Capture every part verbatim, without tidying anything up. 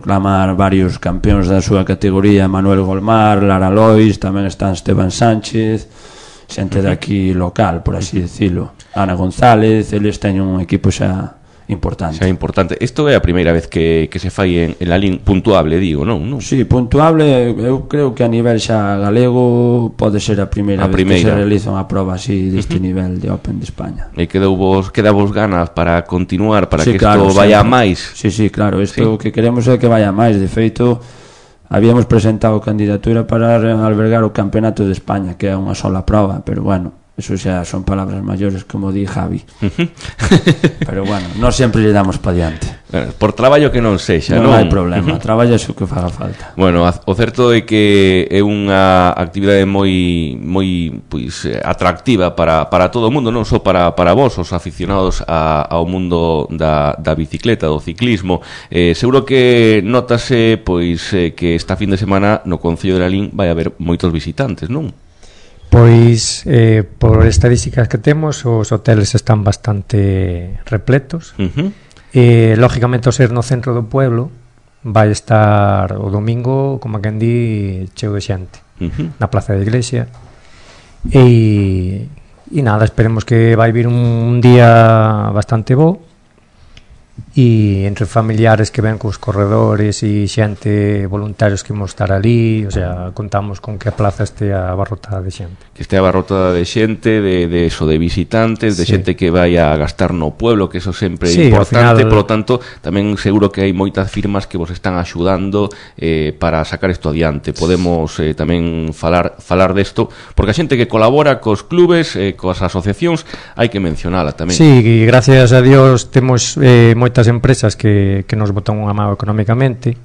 proclamar varios campeóns da súa categoría, Manuel Golmar, Lara Lois, tamén están Esteban Sánchez, xente de aquí local, por así decirlo, Ana González, eles teñen un equipo xa importante. Xa importante. Isto é a primeira vez que, que se fai en, en Lalín puntuable, digo, non? non? Sí, puntuable, eu creo que a nivel xa galego pode ser a primeira, a vez primeira. que se realiza unha prova así deste uh-huh. nivel de Open de España. E quedou vos, queda vos ganas para continuar, para sí, que isto claro, vaya sí, máis? Sí, sí, claro, isto sí. o que queremos é que vaya máis. De feito, habíamos presentado candidatura para albergar o Campeonato de España, que é unha sola prova, pero bueno, eso xa son palabras maiores, como di Javi. Pero bueno, non sempre lle damos pa diante. Por traballo que non sexa, non? Non hai problema, traballa o que faga falta. Bueno, o certo é que é unha actividade moi moi pois atractiva para, para todo o mundo, non só para, para vos, os aficionados a, ao mundo da, da bicicleta, do ciclismo. Eh, seguro que notase pois eh, que esta fin de semana no Concello de Lalín vai haber moitos visitantes, non? Pois, eh, por estadísticas que temos, os hoteles están bastante repletos. Uh-huh. E, lógicamente, ao ser no centro do pueblo, vai estar o domingo, como a quen di, cheo de xente, uh-huh. na Plaza da Iglesia. E, e nada, esperemos que vai vir un día bastante bo. E entre familiares que ven cos corredores e xente, voluntarios que imos estar ali, o sea, contamos con que a plaza este abarrotada de xente. Que este abarrotada de xente, de, de eso, de visitantes, de sí. xente que vai a gastar no pueblo, que eso sempre é sí, importante, final... por lo tanto, tamén seguro que hai moitas firmas que vos están axudando eh, para sacar isto adiante. Podemos eh, tamén falar falar desto, porque a xente que colabora cos clubes, eh, coas asociacións, hai que mencionala tamén. Sí, e gracias a Dios temos eh, moitas empresas que, que nos botan unha mão económicamente.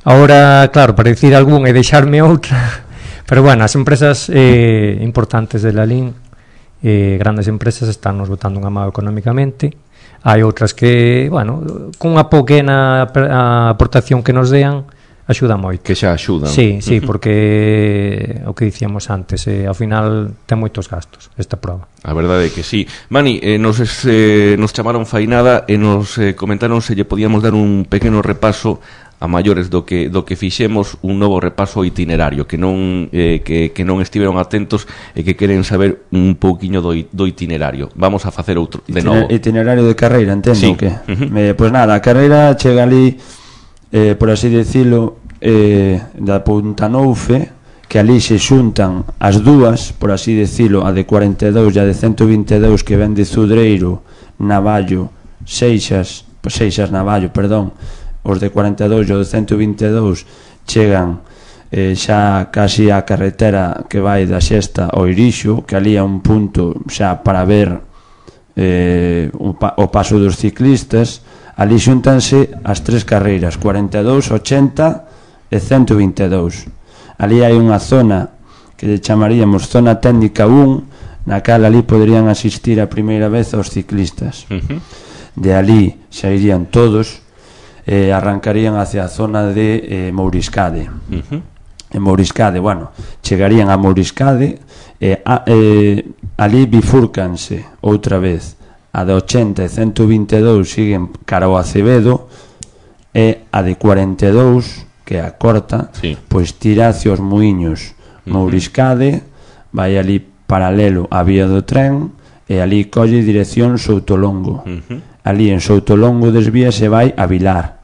Ahora, claro, para dicir algún e deixarme outra, pero bueno, as empresas eh, importantes de Lalín, eh, grandes empresas, están nos botando unha mão económicamente. Hai outras que, bueno, con unha pequena aportación que nos dean, axuda moito. Que xa axudan. Sí, sí, uh-huh. porque o que dicíamos antes, eh, ao final ten moitos gastos esta prova. A verdade é que sí. Mani, eh, nos, eh, nos chamaron fainada e nos eh, comentaron se lle podíamos dar un pequeno repaso a maiores do que do que fixemos, un novo repaso itinerario, que non eh, que, que non estiveron atentos e que queren saber un pouquiño do, do itinerario. Vamos a facer outro de novo. Itinerario de carreira, entendo sí. que. Uh-huh. Eh, pois pues nada, a carreira chega ali, eh, por así decirlo, eh, da Punta Noufe, que ali se xuntan as dúas, por así decirlo, a de cuarenta e dous e a de ciento vinte e dous, que ven de Zudreiro, Navallo, Seixas, pois Seixas, Navallo, perdón. Os de cuarenta e dous e os de ciento vinte e dous chegan eh, xa casi a carretera que vai da Xesta ao Irixo, que ali é un punto xa para ver eh, o, pa, o paso dos ciclistas. Ali xuntanse as tres carreiras, cuarenta e dous, ochenta e ciento vinte e dous. Ali hai unha zona que lle chamaríamos zona técnica un, na cal ali poderían asistir a primeira vez aos ciclistas. Uh-huh. De ali xa irían todos, eh, arrancarían hacia a zona de eh, Mouriscade. Uh-huh. En Mouriscade, bueno, chegarían a Mouriscade, eh, a, eh, ali bifúrcanse outra vez. A de ochenta e ciento vinte e dous siguen cara ao Acevedo, e a de cuarenta e dous, que é a corta, sí. pois tira hacia os Muiños. Uh-huh. Mouriscade, vai ali paralelo á vía do tren, e ali colle dirección Soutolongo. Uh-huh. Ali en Soutolongo desvía se vai a Vilar.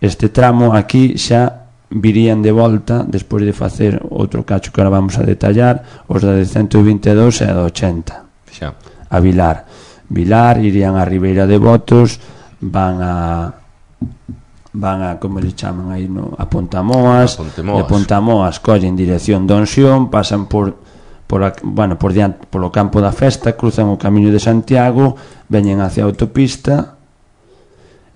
Este tramo aquí xa virían de volta despois de facer outro cacho que ahora vamos a detallar, os da de ciento vinte e dous e a de ochenta xa. A Vilar. Vilar, irían a Ribeira de Botos, van a van a, como le chaman aí, no, a Pontamoas, a de Pontamoas collen dirección Donsión, pasan por por a, bueno, por diante, polo campo da festa, cruzan o camiño de Santiago, veñen hacia a autopista,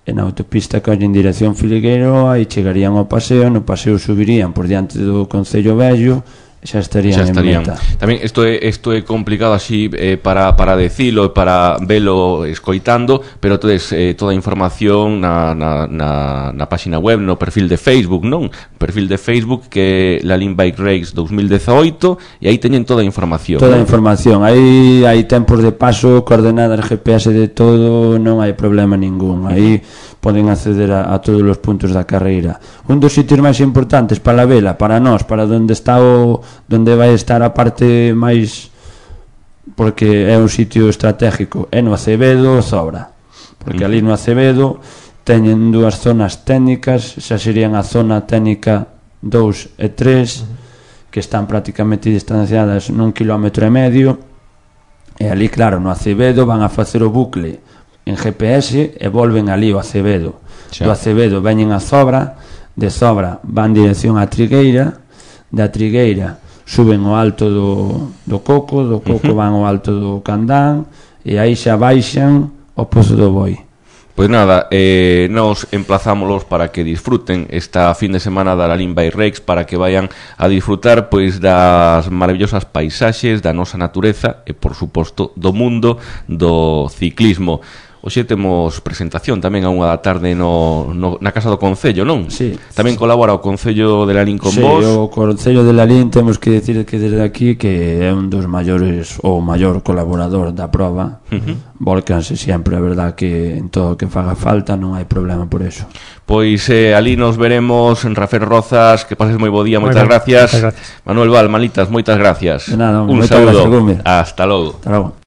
e na autopista collen dirección Filigueiro, aí chegarían ao paseo, no paseo subirían por diante do Concello Vello, xa estarían, xa estarían. en meta. Tamén isto é, isto é complicado así eh, para, para decilo e para velo escoitando, pero todes eh, toda a información na, na, na, na página web, no perfil de Facebook, non? Perfil de Facebook que é Lalín Bike Race dos mil dezaoito, e aí teñen toda a información. Toda a ¿no? información, aí hai tempos de paso, coordenadas G P S de todo, non hai problema ningún. Aí poden acceder a, a todos os puntos da carreira. Un dos sitios máis importantes para a vela, para nós, para onde está o donde vai estar a parte máis, porque é un sitio estratégico, é no Acevedo, Zobra, porque ali no Acevedo teñen dúas zonas técnicas, xa serían a zona técnica dous e tres, que están prácticamente distanciadas nun kilómetro e medio, e ali, claro, no Acevedo van a facer o bucle en G P S e volven ali o Acevedo. Do Acevedo veñen a Zobra, de Zobra van dirección a Trigueira, da Trigueira suben ao alto do, do Coco, do Coco van ao alto do Candán, e aí xa baixan ao Pozo do Boi. Pois nada, eh, nos emplazámolos para que disfruten esta fin de semana da Lalín Bike Race, para que vayan a disfrutar pois das maravillosas paisaxes da nosa natureza e, por suposto, do mundo do ciclismo. Hoxe temos presentación tamén a unha da tarde no, no, na Casa do Concello, non? Sí. Tamén colabora o Concello de Lalín con sí, vos. Sí, o Concello de Lalín temos que decir que desde aquí que é un dos maiores ou maior colaborador da proba. Uh-huh. Volcanse sempre, a verdad que en todo o que faga falta non hai problema por eso. Pois eh, ali nos veremos en Rafael Rozas, que pases moi bo día, moitas gracias. gracias. Manuel Val, Malitas, moitas gracias. De nada, un saúdo. Gracias, hasta logo. Hasta logo.